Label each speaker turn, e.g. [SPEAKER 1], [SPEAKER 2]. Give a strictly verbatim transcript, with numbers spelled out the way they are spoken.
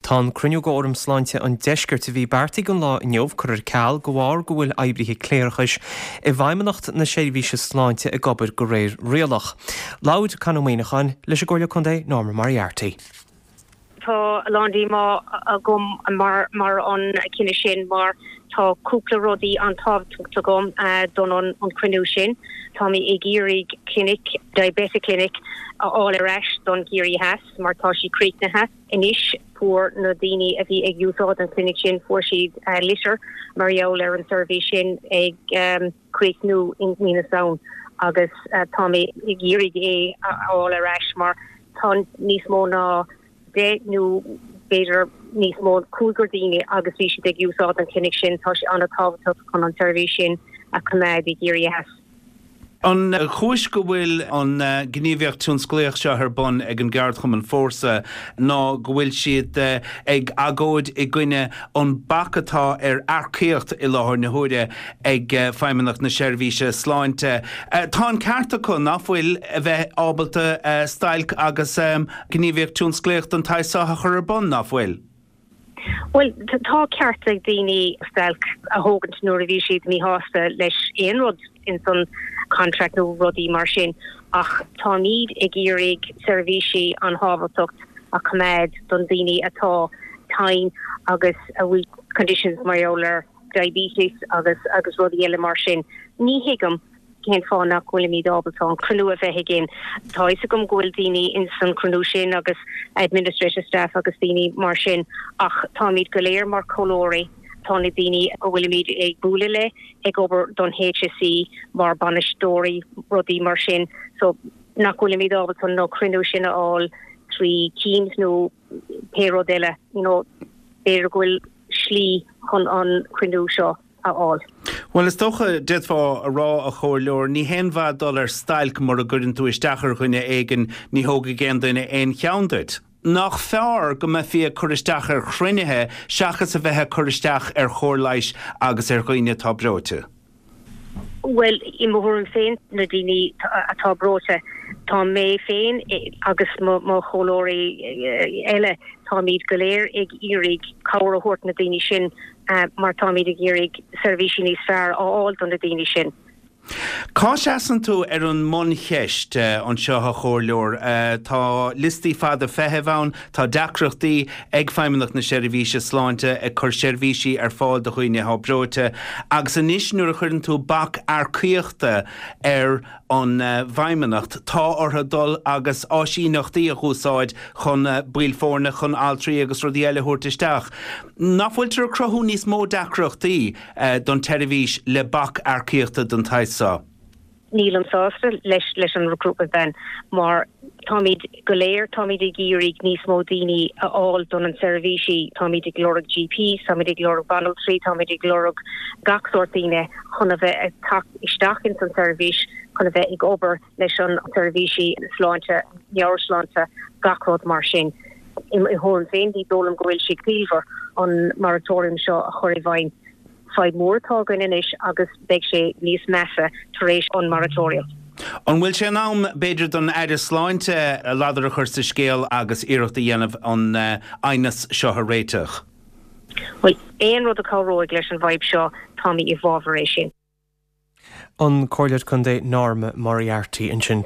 [SPEAKER 1] Tá an cruinniú de Fhóram Sláinte an Deiscirt a bhí beartaithe don lá inniu curtha ar ceal de bharr go bhfuil oibrithe cléireachais i bhFeidhmeannacht na Seirbhíse Sláinte ag obair de réir rialach. Labhair Con Ó Muíneacháin leis an gComhairleoir Contae Norma Moriarty.
[SPEAKER 2] Tá a lán díomá agam mar mar an cinneadh sin mar tá cúpla rudaí an-tábhachtach agam uh, don an, an cruinniú sin. Tá mé ag iarraidh clinic diabetic clinic a fháil ar ais don Ciarraí Theas mar tá sí críochnaithe anois fuair na daoine a bhí ag úsáid an clinic sin fuair siad uh, litir mar gheall ar an seirbhís sin ag um, críochnú in mí na Samhna agus uh, tá mé ag iarraidh é a fháil ar ais mar tá níos mó ná deich nó b'fhéidir níos mó cúigear daoine agus bhí siad ag úsáid an clinic sin tá sé an-tábhachtach chun an seirbhís sin a choimeád i gCiarraí Theas.
[SPEAKER 3] An chúis go bhfuil an gníomhaíocht tionsclaíoch seo ar bun ag an gceardchumann Fórsa ná go bhfuil siad ag agóid i gcoinne an bac atá ar earcaíocht i láthair na huaire ag Feidhmeannacht na Seirbhíse Sláinte. Tá an ceart acu nach bhfuil a bheith ábalta stailc agus gníomhaíocht tionsclaíoch den tsaghas seo a chur ar bun nach bhfuil.
[SPEAKER 2] Well tá ceart ag daoine stailc a thógaint nuair a bhí siad míshásta leis aon rud in san contract nó rudaí mar sin ach táimid ag iarraidh seirbhísí an-tábhachtach a choimeád don daoine atá tinn agus a bhfuil conditions mar ar diabetes agus agus rudaí eile mar sin. Ní thuigim cén fáth nach bhfuilimid ábalta an cruinniú a bheith againn. Tá is agam go bhfuil daoine in san cruinniú sin agus administrative staff agus daoine mar sin ach táimid go léir mar chomhairleoirí tá na daoine go bhfuilimid ag bualadh le ag obair don HSE mar bainisteoirí rudaí mar sin so nach bhfuilimid ábalta an cruinniú sin a fháil trí Teams nó pé rud eile you know, b'fhéidir go bhfuil slí chun an cruinniú seo a fháil.
[SPEAKER 3] Well is dócha d'fhéadfá a rá a chomhairleoir ní haon mhaith dul ar stailc mura gcuireann tú isteach ar dhuine éigin ní thógfaidh aon duine aon cheann duit. Nach fearr go mbeifí ag cur isteach ar chruinnithe seachas a bheith ag cur isteach ar chóir leighis agus ar dhaoine atá breoite.
[SPEAKER 2] Well i mo thuairim féin na daoine atá breoite tá mé féin agus mo chomhairleoirí eile táimid go léir ag iarraidh cabhair a thabhairt na daoine sin uh, mar táimid ag iarraidh seirbhísí níos fearr a fháil don na daoine sin.
[SPEAKER 3] Cá seasann tú ar an mbuncheist uh, anseo a chomhairleoir uh, tá liostaí fada feithimh ann, tá deacrachtaí ag Feidhmeannacht na Seirbhíse Sláinte ag cur seirbhísí ar fáil do dhaoine atá breoite, agus anois nuair a chuireann tú bac earcaíochta ar an uh, bhFeidhmeannacht tá orthu dul agus áisíneachtaí a úsáid chun uh, baill foirne chun altraí agus rudaí eile a thabhairt isteach. Nach bhfuiltear ag cruthú níos mó deacrachtaí uh, don tseirbhís le bac earcaíochta den tsaghas seo.
[SPEAKER 2] Nílim sásta leis leis an recruitment ban mar táimid go léir táimid ag iarraidh níos mó daoine a fháil don an seirbhísí táimid ag lorg GP, táimid ag lorg banaltraí, táimid ag lorg gach sórt daoine chun a bheith ag teacht isteach in san seirbhís chun a bheith ag obair leis an seirbhísí sláinte meabhairshláinte gach rud mar sin. I thuairim féin ní dóigh liom go bhfuil sé ciallmhar an moratorium seo a chur i bhfeidhm. Fadhb mór atá againn anois agus beidh sé níos measa tar éis an moratorium.
[SPEAKER 3] An bhfuil sé in am b'fhéidir don Aire Sláinte a ladar a chur sa scéal agus iarracht a dhéanamh an aighneas seo a réiteach.
[SPEAKER 2] Well aon rud a chabhróidh leis an bhfadhb seo tá mé i bhfabhar é sin.
[SPEAKER 1] An Comhairleoir Contae Norma Moriarty ansin.